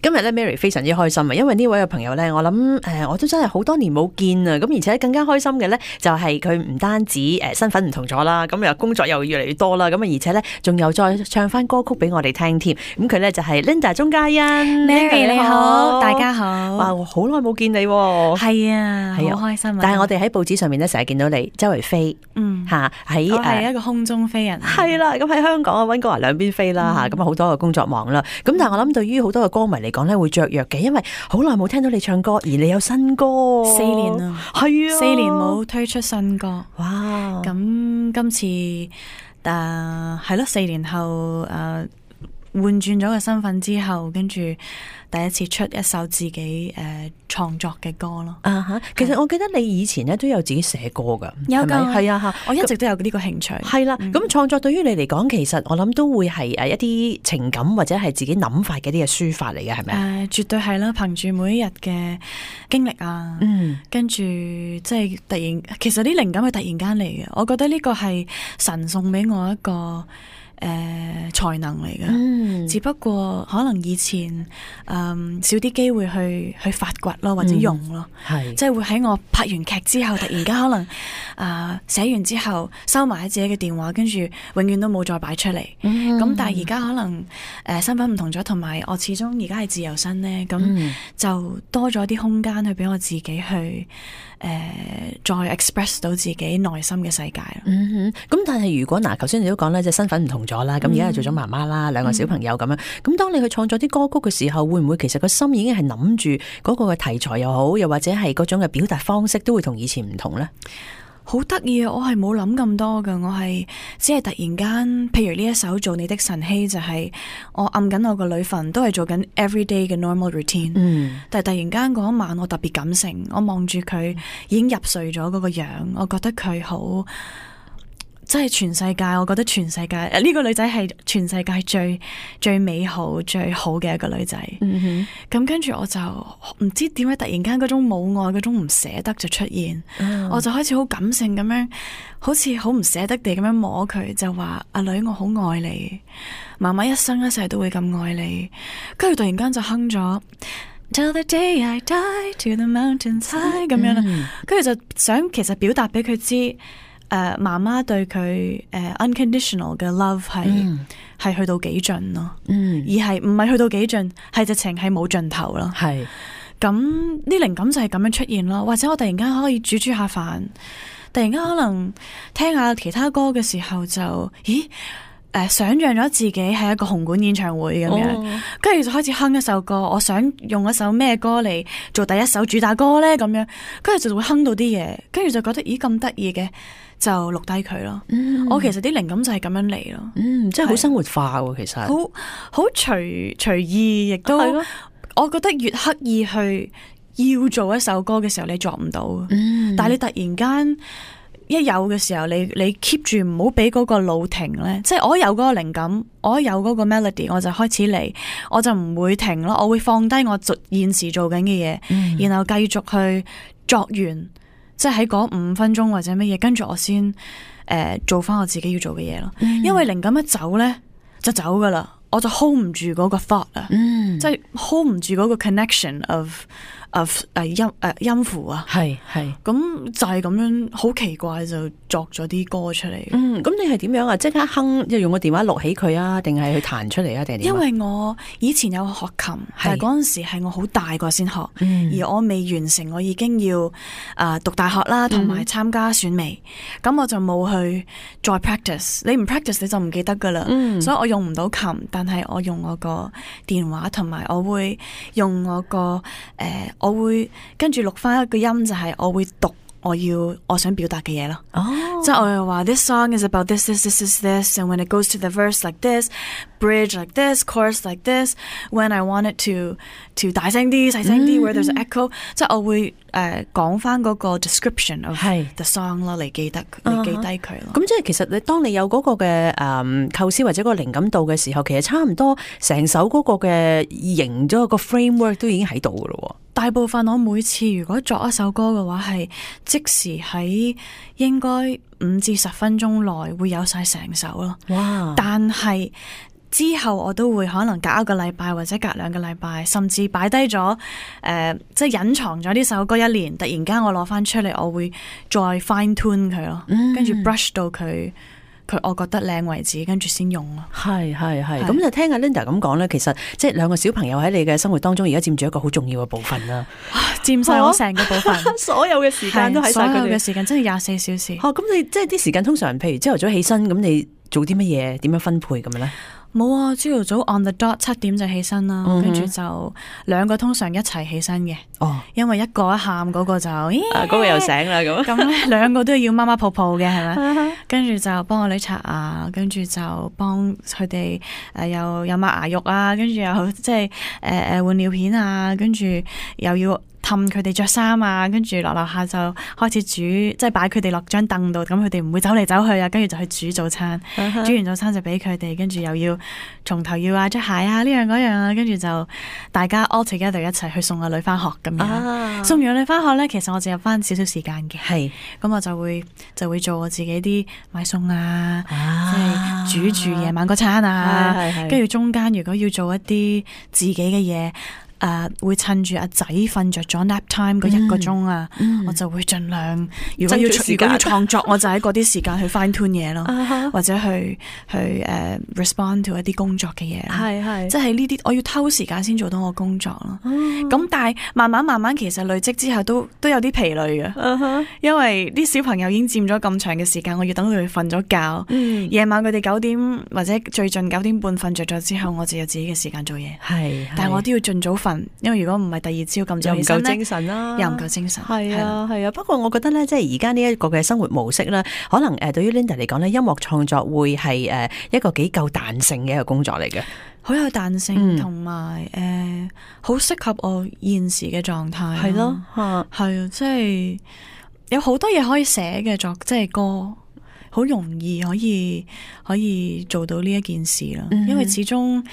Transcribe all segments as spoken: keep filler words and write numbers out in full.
今日咧 Mary 非常之開心啊，因為呢位嘅朋友咧，我諗誒、呃、我都真係好多年冇見啊，咁而且更加開心嘅咧就係佢唔單止誒身份唔同咗啦，咁又工作又越嚟越多啦，咁啊而且咧仲有再唱翻歌曲俾我哋聽添，咁佢咧就係 Linda 鍾嘉欣 ，Mary 你好，大家好，哇好耐冇見你喎，係啊，係啊好開心啊！但係我哋喺報紙上面咧成日見到你周圍飛，嗯嚇喺我係一個空中飛人，係啦，咁喺香港啊溫哥華兩邊飛啦嚇，咁啊好多嘅工作忙啦，咁但係我諗對於好多嘅歌迷嚟講咧會雀躍嘅，因為好耐冇聽到你唱歌，而你有新歌，四年啦，係啊，四年冇推出新歌，哇！咁今次誒係咯，四年後誒換轉咗個身份之後，跟住第一次出一首自己誒創作嘅歌咯。啊哈，其實我記得你以前咧都有自己寫歌噶，有㗎，係啊嚇，我一直都有呢個興趣。係啦，咁創作對於你嚟講，其實我諗都會係誒一啲情感或者係自己諗法嘅啲嘅抒發嚟嘅，係咪啊？誒，絕對係啦，憑住每一日嘅經歷啊，嗯，跟住即係突然，其實啲靈感係突然間嚟嘅。我覺得呢個係神送俾我一個誒、呃、才能嚟嘅，嗯、只不過可能以前誒、嗯、少啲機會去去發掘咯，或者用咯，係、嗯、即係會喺我拍完劇之後，突然間可能誒寫、呃、完之後收埋喺自己嘅電話，跟住永遠都冇再擺出嚟。咁、嗯、但係而家可能誒、呃、身份唔同咗，同埋我始終而家係自由身咧，咁、嗯、就多咗啲空間去俾我自己去。誒、呃，再 express 到自己內心嘅世界。嗯哼，咁但係如果嗱，頭先你都講咧，即係身份唔同咗啦，咁而家係做咗媽媽啦，兩個小朋友咁樣。咁、嗯、當你去創作啲歌曲嘅時候，會唔會其實個心已經係諗住嗰個嘅題材又好，又或者係嗰種嘅表達方式都會同以前唔同咧？好得意啊！我係冇諗咁多噶，我係只係突然間，譬如呢一首做你的晨曦，就係、是、我暗緊我個女瞓，都係做緊 everyday 嘅 normal routine。嗯，但係突然間嗰一晚，我特別感性，我望住佢已經入睡咗嗰個樣，我覺得佢好。即係全世界，我覺得全世界呢、呢個女仔係全世界最最美好最好嘅一個女仔。咁、嗯、跟住我就唔知點解突然間嗰種母愛嗰種唔捨得就出現，嗯、我就開始好感性咁樣，好似好唔捨得地咁樣摸佢，就話阿女我好愛你，媽媽一生一世都會咁愛你。跟住突然間就哼咗 Till the day I die to the mountains high 咁樣啦，跟住、嗯、就想其實表達俾佢知。誒，媽媽、uh, 對佢誒、uh, unconditional 嘅 love 係係、mm. 去到幾盡咯，mm. 而係唔係去到幾盡，係直情係冇盡頭咯。係咁啲靈感就係咁樣出現咯，或者我突然間可以煮煮下飯，突然間可能聽下其他歌嘅時候就，咦誒、呃，想象咗自己係一個紅館演唱會咁樣，跟住、oh. 就開始哼一首歌，我想用一首咩歌嚟做第一首主打歌咧，咁樣，跟住就會哼到啲嘢，跟住就覺得咦咁得意嘅。就錄低佢咯，嗯、我其實啲靈感就係咁樣嚟咯，嗯，即係好生活化喎，其實好好隨隨意，亦都，的我覺得越刻意去要做一首歌嘅時候，你做唔到，嗯、但係你突然間一有嘅時候，你你 keep 住唔好俾嗰個腦停咧，即係我有嗰個靈感，我有嗰個 melody，我就開始嚟，我就唔會停咯，我會放低我做現時做緊嘅嘢，嗯、然後繼續去作完。即係喺嗰五分鐘或者乜嘢，跟住我先誒、呃、做翻我自己要做嘅嘢咯。嗯、因為靈感一走咧，就走噶啦，我就 hold 唔住嗰個 thought 啊，嗯、即係 hold 唔住嗰個 connection of of 誒音誒音符啊，係係咁就係咁樣，好奇怪就作咗啲歌出嚟。嗯，咁你係點樣啊？即刻哼，即係用個電話錄起佢啊，定係去彈出嚟啊？定係點？因為我以前有學琴，是但係嗰陣時係我好大個先學，嗯、而我未完成，我已經要啊、呃、讀大學啦，同埋參加選美，咁、嗯、我就冇去再 practice。你唔 practice 你就唔記得噶啦，嗯、所以我用唔到琴，但係我用我個電話，同埋我會用我個誒。呃我會跟住錄翻一個音，就係我會讀我要我想表達嘅嘢咯。哦，即係我又話 This song is about this, this, this, this, this, and when it goes to the verse like this, bridge like this, chorus like this, when I want it to to 大聲啲、細聲啲 where there's an echo，即係我會誒講翻嗰個 description of the song 咯，嚟記得嚟記低佢咯。咁即係其實你當你有嗰個嘅誒構思或者個靈感度嘅時候，其實差唔多成首嗰個嘅形咗個 framework 都已經喺度噶咯。大部分我每次如果作一首歌嘅話，係即時喺應該五至十分鐘內會有晒成首咯。哇！但係之後我都會可能隔一個禮拜或者隔兩個禮拜，甚至擺低咗誒，即係隱藏咗呢首歌一年，突然間我攞翻出嚟，我會再 fine tune 佢咯，跟住 brush 到佢。佢我覺得靚為止，跟住先用咯。係係係，咁就聽阿 Linda 咁講咧，其實即係兩個小朋友喺你嘅生活當中，而家佔住一個好重要嘅部分啦。佔晒我成個部分，所有嘅時間都喺晒佢哋。所有嘅時間真係廿四小時。哦，咁你即係啲時間通常，譬如朝頭早起身，咁你做啲乜嘢？點樣分配咁樣咧？冇啊！朝頭早 on the dot 七點就起身啦，跟住、嗯、就兩個通常一齊起身嘅。哦，因為一個一喊嗰個就，咦，嗰、啊嗰個又醒啦咁。咁咧兩個都要媽媽抱抱嘅，係咪？跟住就幫我女刷牙，跟住就幫佢哋誒又又抹牙肉啊，跟住又即係誒誒換尿片啊，跟住又要氹佢哋着衫啊，跟住落樓下就開始煮，即係擺佢哋落張凳度，咁佢哋唔會走嚟走去啊，跟住就去煮早餐，uh huh. 煮完早餐就俾佢哋，跟住又要從頭要啊着鞋啊呢樣嗰樣啊，跟住就大家 all together 一齊去送個女翻學咁樣。Uh huh. 送完個女翻學咧，其實我就有翻少少時間嘅，係咁是我就會就會做我自己啲買餸啊，即係、uh huh. 煮住夜晚嗰餐啊，跟住、uh huh. 中間如果要做一啲自己嘅嘢。誒、uh, 會趁住阿仔瞓着咗 nap time 嗰一個鐘啊，嗯、我就會盡量如果要如果要創作，我就喺嗰啲時間去 fine tune 嘢咯，或者去去誒、uh, respond to 一啲工作嘅嘢，係係，即係呢啲我要偷時間先做到我工作咯。咁、嗯、但係慢慢慢慢其實累積之後都都有啲疲累嘅，嗯、因為啲小朋友已經佔咗咁長嘅時間，我要等佢哋瞓咗覺，夜、嗯、晚佢哋九點或者最近九點半瞓着咗之後，我就有自己嘅時間做嘢，係，但係我都要盡早瞓。因為如果唔係第二朝咁早起身咧，又唔夠精神啦，又唔夠精神。係啊，係啊。不過我覺得咧，即係而家呢一個嘅生活模式咧，可能誒對於 Linda 嚟講咧，音樂創作會係誒一個幾夠彈性嘅一個工作嚟嘅，好有彈性，同埋誒好適合我現時嘅狀態。係咯，係啊，即係有好多嘢可以寫嘅作，即係歌。好容易可以可以做到呢一件事啦，嗯、因為始終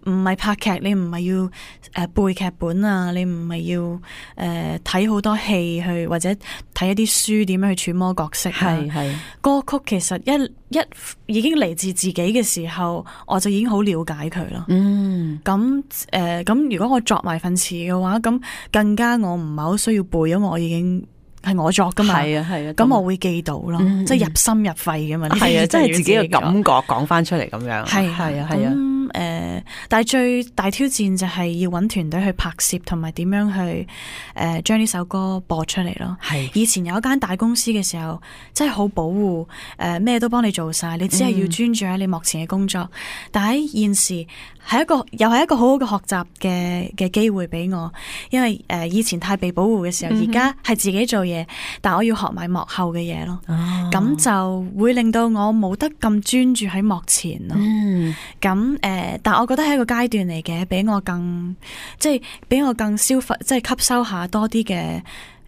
唔係拍劇，你唔係要誒、呃、背劇本啊，你唔係要誒睇好多戲去或者睇一啲書點樣去揣摩角色。係係歌曲其實一一已經嚟自自己嘅時候，我就已經好了解佢咯。嗯，咁誒咁如果我作埋份詞嘅話，咁更加我唔係好需要背，因為我已經。係我作噶嘛，係啊係啊，咁我會記到咯，嗯、即係入心入肺噶嘛，係啊，即係自己嘅感覺講翻出嚟咁樣，係係啊係啊，咁誒，但係最大挑戰就係要搵團隊去拍攝，同埋點樣去誒將呢首歌播出嚟咯。係是以前有一間大公司嘅時候，真係好保護，誒、呃、咩都幫你做晒，你只係要專注喺你目前嘅工作。嗯、但喺現時係一個又係一個好好嘅學習嘅嘅機會俾我，因為誒、呃、以前太被保護嘅時候，而家係自己做嘢，但我要學埋幕後嘅嘢咯，咁、哦、就會令到我冇得咁專注喺幕前咯。咁誒、嗯呃，但我覺得係一個階段嚟嘅，俾我更即係俾我更消費，即係吸收下多啲嘅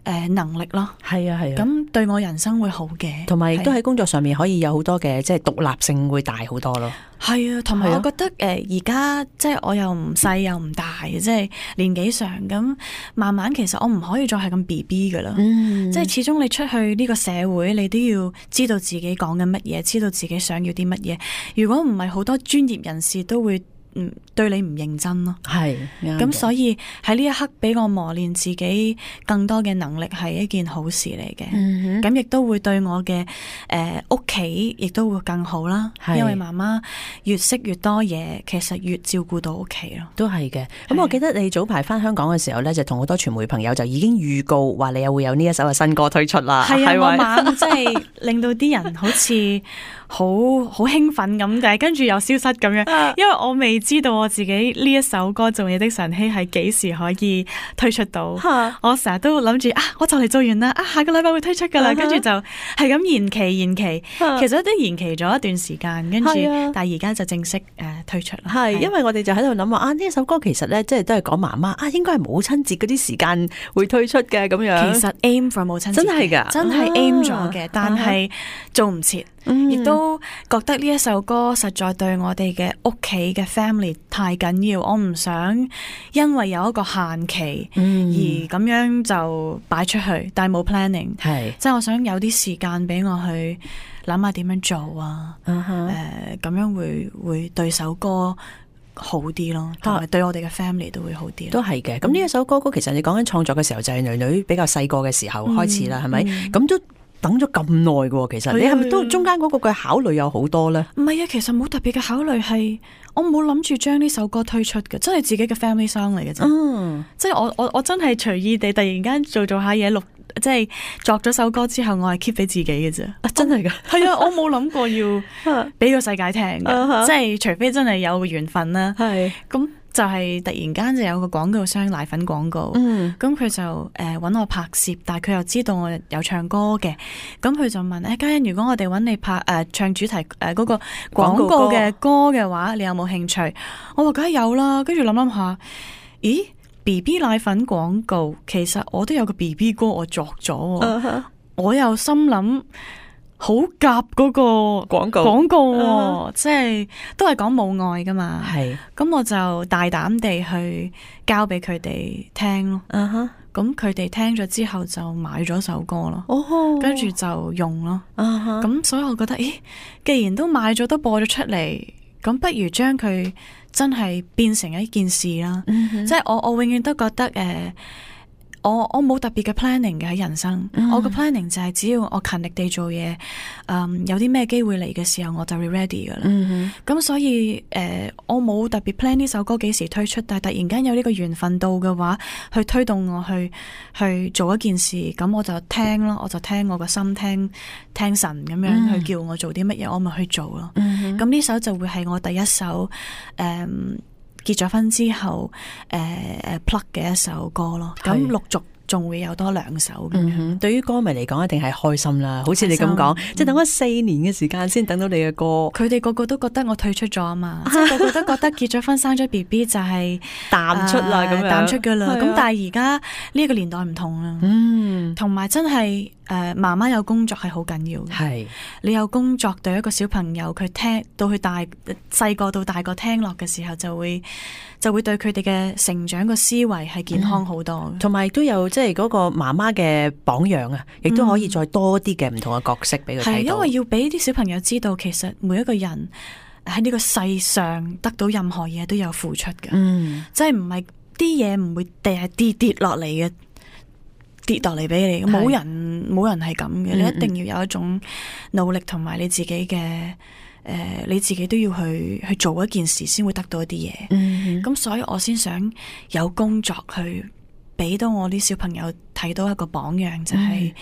誒能力咯。係啊係啊，咁對我人生會好嘅，同埋亦都喺工作上面可以有好多嘅即係獨立性會大好多咯。係啊，同埋我覺得誒而家即係我又唔細又唔大，即係年紀上咁，慢慢其實我唔可以再係咁 B B 噶啦。嗯、即係始終你出去呢個社會，你都要知道自己講緊乜嘢，知道自己想要啲乜嘢。如果唔係，好多專業人士都會嗯對你唔認真咯。係咁，所以喺呢一刻俾我磨練自己更多嘅能力係一件好事嚟嘅。咁亦、嗯、哼都會對我嘅誒屋企亦都會更好啦。是因為媽媽越識越多嘢，其實越照顧到屋企咯。都係嘅。咁我記得你早排翻香港嘅時候咧，就同好多傳媒朋友就已經預告話你又會有呢一首嘅新歌推出啦。係啊，我猛即係令到啲人好似好好興奮咁，但係跟住又消失咁樣，因為我未知道我自己呢一首歌《做你的晨曦》係幾時可以推出到。我成日都諗住啊，我就嚟做完啦，啊下個禮拜會推出噶啦，跟住就係咁延期延期，其實都延期咗一段時間，跟住但係而家就正式誒推出啦。係因為我哋就喺度諗話啊，呢一首歌其實咧即係都係講媽媽啊，應該係母親節嗰啲時間會推出嘅咁樣。其實 aim for 母親節真係噶，真係 aim 咗嘅，但係做唔切。亦、嗯、都覺得呢一首歌實在對我哋嘅屋企嘅 family 太緊要，我唔想因為有一個限期而咁樣就擺出去，但係冇 planning，係即係我想有啲時間俾我去諗下點樣做啊，誒、uh-huh. 呃，咁樣會會對首歌好啲咯，同埋對我哋嘅 family 都會好啲。都係嘅。咁呢一首歌曲，其實你講緊創作嘅時候，就係女女比較細個嘅時候開始啦，係、嗯、咪？咁、嗯、都等咗咁耐嘅，其實你係咪都中間嗰個嘅考慮有好多咧？唔係啊，其實冇特別嘅考慮，係我冇諗住將呢首歌推出嘅，真係自己嘅 family song 嚟嘅啫。嗯，即係我我我真係隨意地突然間做做下嘢錄。即係作咗首歌之後，我係 keep 俾自己嘅啫。啊，真係噶？係啊，我冇諗過要俾個世界聽嘅。Uh-huh. 即係除非真係有個緣分啦。係。咁就係突然間就有個廣告商奶粉廣告。嗯。咁佢就誒搵我拍攝，但係佢又知道我有唱歌嘅。咁佢就問誒嘉欣，如果我哋搵你拍誒、呃、唱主題誒嗰、呃那個廣告嘅歌嘅話，你有冇興趣？我話梗係有啦。跟住諗諗下，咦？B B 奶粉廣告，其實我都有個 B B 歌我作咗，uh-huh. 我又心諗好夾嗰個廣告廣告、uh-huh. 即係都係講母愛噶嘛，係，咁我就大膽地去交俾佢哋聽咯，咁佢哋聽咗之後就買咗首歌咯，跟、uh-huh. 住就用咯，咁、uh-huh. 所以我覺得，咦，既然都買咗都播咗出嚟，咁不如將佢真係變成一件事啦，嗯、即係我我永遠都覺得誒、呃，我我冇特別嘅 planning 嘅喺人生，嗯、我嘅 planning 就係只要我勤力地做嘢，嗯，有啲咩機會嚟嘅時候我就會 ready 噶啦。咁、嗯、所以誒、呃，我冇特別 plan 呢首歌幾時推出，但係突然間有呢個緣分到嘅話，去推動我去去做一件事，咁我就聽咯，我就聽我個心聽聽神咁樣、嗯、去叫我做啲乜嘢，我咪去做咯。咁、嗯、呢首就會係我第一首誒、嗯、結咗婚之後誒誒 plug 嘅一首歌咯。咁陸續仲會有多兩首咁樣、嗯、對於歌迷嚟講一定係開心啦，好似你咁講、嗯、即係等咗四年嘅時間先等到你嘅歌，佢哋個個都覺得我退出咗啊嘛，即係個個都覺得結咗婚生咗 B B 就係淡出啦，咁、呃、樣淡出噶啦，咁、啊、但係而家呢個年代唔同啦，嗯，同埋真係誒媽媽有工作係好緊要嘅，係你有工作對一個小朋友佢聽到佢大細個到大個聽落嘅時候就會就會對佢哋嘅成長個思維係健康好多，同埋都有即係嗰個媽媽嘅榜樣啊，亦都可以再多啲嘅唔同嘅角色俾佢睇到。係因為要俾啲小朋友知道，其實每一個人喺呢個世上得到任何嘢都有付出嘅，嗯，即係唔係啲嘢唔會跌跌跌落嚟嘅，跌落嚟俾你，冇人冇人係咁嘅，你一定要有一種努力同埋你自己嘅。誒、呃，你自己都要去去做一件事，先會得到一啲嘢。咁、嗯、所以我先想有工作去俾到我啲小朋友睇到一個榜樣，就係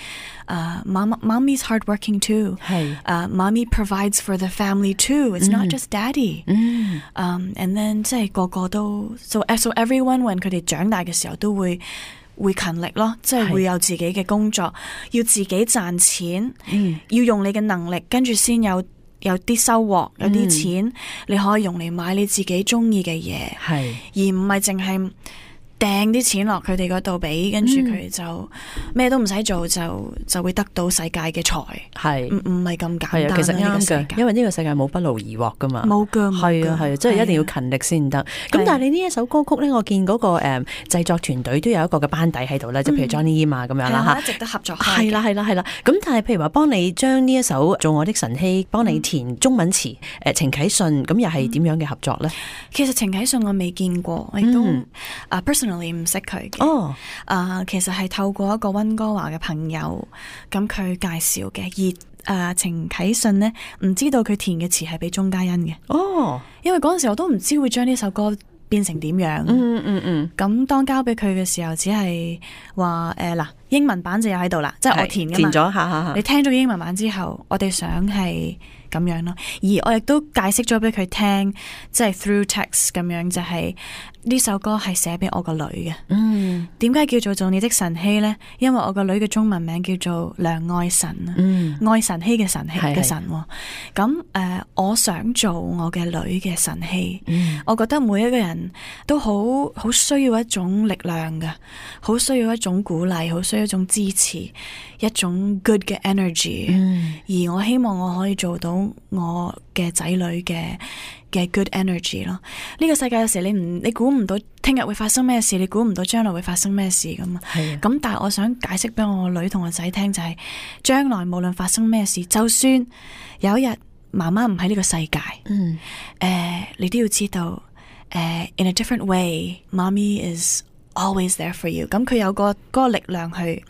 誒，Mommy's hardworking too。係誒，Mommy provides for the family too. It's、嗯、not just Daddy。嗯。Um, and then 即係個個都 so so everyone when 佢哋長大嘅時候都會會勤力咯，即係會有自己嘅工作，要自己賺錢，嗯、要用你嘅能力，跟住先有。有啲收穫，有啲錢、嗯，你可以用嚟買你自己中意嘅嘢，係而唔係淨係掟啲錢落佢哋嗰度俾，跟住佢就咩都唔使做，就就會得到世界嘅財，係唔唔係咁簡單？其實啱嘅，因為呢個世界冇不勞而獲噶嘛，冇噶，係啊係啊，即係一定要勤力先得。咁但係你呢一首歌曲咧，我見嗰個誒製作團隊都有一個嘅班底喺度咧，即係譬如 Johnny Yim 啊咁樣啦吓，一直都合作開，係啦係啦係啦。咁但係譬如話幫你將呢一首做我的晨曦，幫你填中文詞，誒程啟信，咁又係點樣嘅合作咧？其實程啟信我未見過，我亦都啊 personal。你唔識佢嘅，哦，啊，其實係透過一個溫哥華嘅朋友，咁佢介紹嘅，而誒程啟信呢，唔知道佢填嘅詞係俾鐘嘉欣嘅，哦，因為嗰陣時我都唔知會將呢首歌變成點樣，嗯嗯嗯，咁當交俾佢嘅時候，只係話誒嗱，英文版就有喺度啦，即係我填嘅嘛，填咗，吓吓吓，你聽咗英文版之後，我哋想係咁樣咯。而我亦都解釋咗俾佢聽，即係 through text 咁樣，就係呢首歌係寫俾我個女嘅。嗯，點解叫做做你的晨曦呢？因為我個女嘅中文名叫做梁愛晨啊，嗯、愛晨曦嘅晨曦嘅晨。咁誒、呃，我想做我嘅女嘅晨曦。嗯、我覺得每一個人都好好需要一種力量嘅，好需要一種鼓勵，好需要一種支持，一種 good 嘅 energy。嗯、而我希望我可以做到我嘅仔女嘅嘅 good energy 咯。呢、這個世界有時你唔你估唔到聽日會發生咩事，你估唔到將來會發生咩事咁啊。係啊。咁但係我想解釋俾我女同我仔聽就係、是，將來無論發生咩事，就算有一日媽媽唔喺呢個世界，嗯，誒、呃，你都要知道，誒、呃、，in a different way，mommy is always there for you。咁佢有個嗰個力量去誒、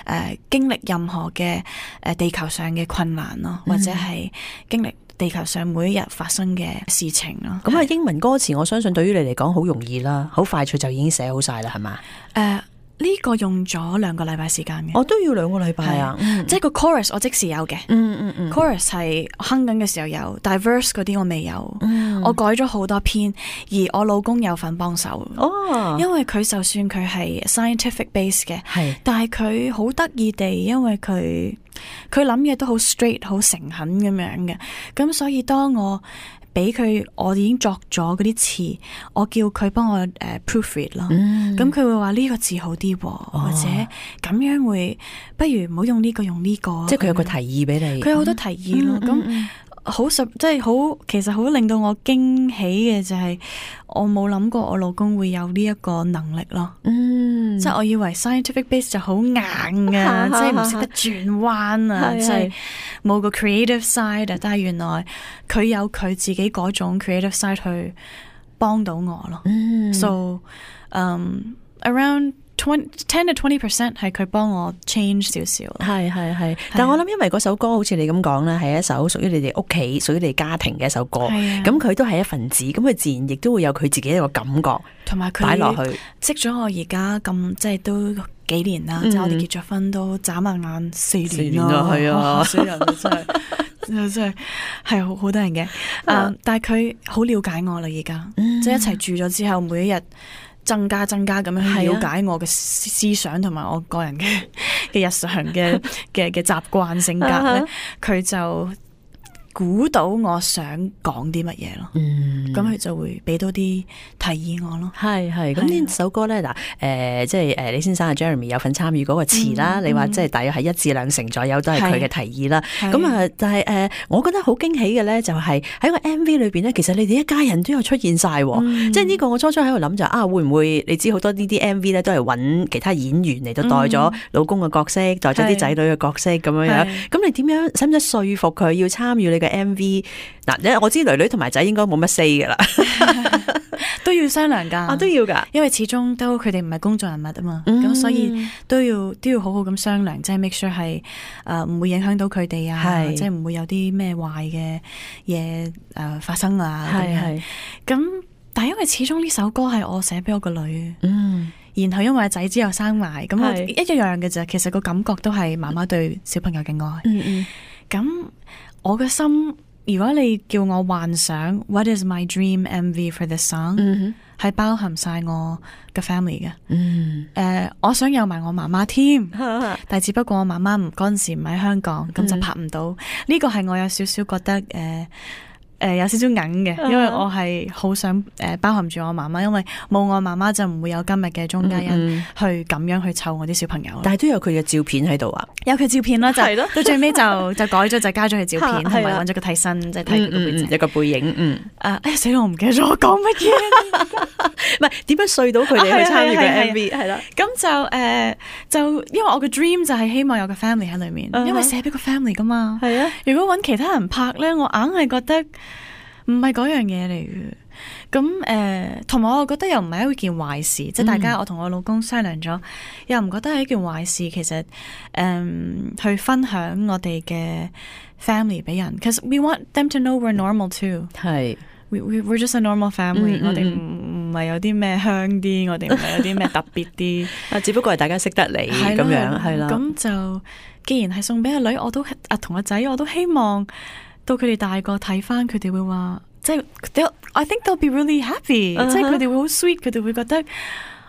呃、經歷任何嘅誒、呃、地球上嘅困難咯，或者係經歷地球上每一日發生嘅事情咯。咁啊、嗯，英文歌詞我相信對於你嚟講好容易啦，好快脆就已經寫好晒啦，係嘛？誒、uh,。呢個用咗兩個禮拜時間嘅，我都要兩個禮拜啊！嗯、即係個 chorus 我即時有嘅，嗯嗯嗯 chorus 係哼緊嘅時候有，但係 verse 嗰啲我未有，嗯、我改咗好多篇，而我老公有份幫手，哦，因為佢就算佢係 scientific base 嘅，係，但係佢好得意地，因為佢佢諗嘢都好 straight 好誠懇咁樣嘅，咁所以當我俾佢，我已經作咗嗰啲詞，我叫佢幫我誒、uh, proofread 咯。咁佢、嗯、會話呢個字好啲，哦、或者咁樣會，不如唔好用呢個，用呢個。即係佢有個提議俾你。佢有好多提議咯。咁好實，即係好，其實好令到我驚喜嘅就係，我冇諗過我老公會有呢一個能力咯。嗯，即係我以為 scientific base 就好硬噶，即係唔識得轉彎啊，即係冇個 creative side 啊。但係原來佢有佢自己嗰種 creative side 去幫到我咯。嗯，so um around ten to twenty percent 係佢幫我 change 少少，係係係。但係我諗，因為嗰首歌好似你咁講咧，係一首屬於你哋屋企、屬於你哋家庭嘅一首歌。咁佢都係一份子，咁佢自然亦都會有佢自己一個感覺，同埋佢擺落去。識咗我而家咁，即係都幾年啦，即係我哋結咗婚都眨下眼四年啦，係啊，死人真係真係係好好多人嘅。誒，但係佢好了解我啦，而家即係一齊住咗之後，每一日。增加增加咁樣去了解我嘅思想同埋我個人嘅嘅日常嘅嘅嘅習慣性格咧，佢就估到我想講啲乜嘢咯，咁佢、嗯、就會俾到啲提議我咯。係係，咁呢首歌咧嗱，誒、呃，即係誒，李先生啊 Jeremy 有份參與嗰個詞啦，嗯、你話即係大約係一至兩成左右都係佢嘅提議啦。咁啊，但係誒，我覺得好驚喜嘅咧，就係喺個 M V 裏邊咧，其實你哋一家人都有出現晒，嗯、即係呢個我初初喺度諗就啊，會唔會你知好多呢啲 M V 咧都係揾其他演員嚟到代咗老公嘅角色，嗯、代咗啲仔女嘅角色咁樣樣。咁你點樣使唔使說服佢要參與你嘅 M V？嗱，我知女女同埋仔應該冇乜 say 噶啦，都要商量噶，啊都要噶，因為始終都佢哋唔係公眾人物啊嘛，咁、嗯、所以都要都要好好咁商量，即係 make sure 係誒唔會影響到佢哋啊，是即係唔會有啲咩壞嘅嘢誒發生啊，係係，咁但係因為始終呢首歌係我寫俾我個女，嗯，然後因為仔之後生埋，咁我一一樣嘅啫，其實個感覺都係媽媽對小朋友嘅愛，嗯嗯，咁我嘅心。如果你叫我幻想 What is my dream M V for this song， 係、mm hmm. 包含晒我嘅 family 嘅。誒、mm hmm. 呃，我想有埋我媽媽添，但係只不過我媽媽唔嗰陣時唔喺香港，咁、mm hmm. 就拍唔到。呢個係我有少少覺得誒。呃誒、呃，有少少硬嘅，因為我係好想誒、呃、包含住我媽媽，因為冇我媽媽就唔會有今日嘅鍾嘉欣去咁樣去湊我啲小朋友。但係都有佢嘅照片喺度啊，有佢照片啦，就到最尾就就改咗，就加咗佢照片，同埋揾咗個替身，即係睇佢個背脊，一個背影。嗯，誒，哎呀死啦，我唔記得咗我講乜嘢，唔係點樣說到佢哋去參與嘅 M V 係啦。咁就誒就因為我嘅 dream 就係希望有個 family 喺裏面，因為寫俾個 family 噶嘛。係啊，如果揾其他人拍咧，我硬係覺得。唔係嗰樣嘢嚟嘅，咁誒，同、呃、埋我覺得又唔係一件壞事，嗯、即係大家我同我老公商量咗，又唔覺得係一件壞事。其實誒、呃，去分享我哋嘅 family 俾人，cause we want them to know we're normal too 是。係，we we we're just a normal family、嗯。我哋唔唔係有啲咩香啲，我哋唔係有啲咩特別啲，啊，只不過係大家識得你咁樣，係啦。咁就既然係送俾阿女，我都啊同阿仔，我都希望。到佢哋大個睇翻，佢哋會話，即係 I think they'll be really happy，、uh huh. 即係佢哋會好 sweet，佢哋會覺得，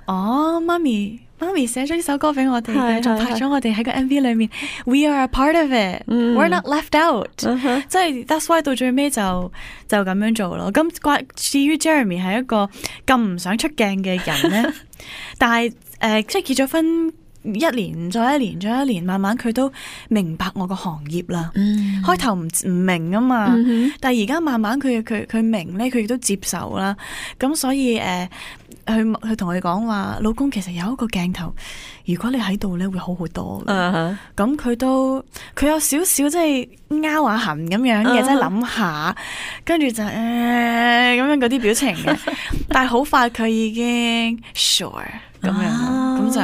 哦，媽咪媽咪寫咗呢首歌俾我哋嘅，仲拍咗我哋喺個 M V 裏面，we are a part of it，we're、mm. not left out，、uh huh. 即係 that's why 到最尾就就咁樣做咯。咁關至於 Jeremy 係一個咁唔想出鏡嘅人咧，但係誒、呃、即係結咗婚。一年再一年再一年，慢慢佢都明白我個行業啦。嗯、開頭唔唔明啊嘛，嗯、哼但係而家慢慢佢佢佢明咧，佢亦都接受啦。咁所以誒，佢佢同佢講話，老公其實有一個鏡頭，如果你喺度咧，會好好多。咁佢、uh huh. 都佢有少少即係拗下痕咁樣嘅，即係諗下，跟住就誒咁、呃、樣嗰啲表情嘅。但係好快佢已經 sure 咁樣，咁、uh huh. 就。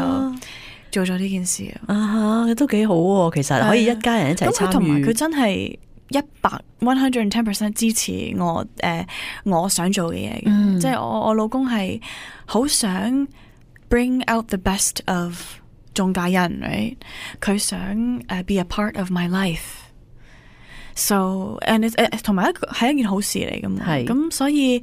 做咗呢件事啊，都幾好喎！其實可以一家人一齊參與，同埋佢真係一百 one hundred and ten percent 支持我誒、呃，我想做嘅嘢嘅，嗯、即係我我老公係好想 bring out the best of 中介人 right？ 佢想誒、uh, be a part of my life，so and it 同埋一個係一件好事嚟噶嘛，咁是所以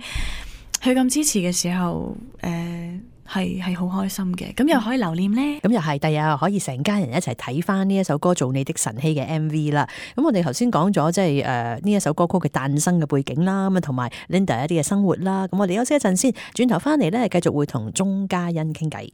佢咁支持嘅時候誒。呃係係好開心嘅，咁又可以留念咧。咁又係，第日可以成家人一齊睇翻呢一首歌《做你的晨曦》嘅 M V 啦。咁我哋頭先講咗即係誒呢一首歌曲嘅誕生嘅背景啦，咁啊同埋 Linda 一啲嘅生活啦。咁我哋休息一陣先，轉頭翻嚟咧繼續會同鐘嘉欣傾偈。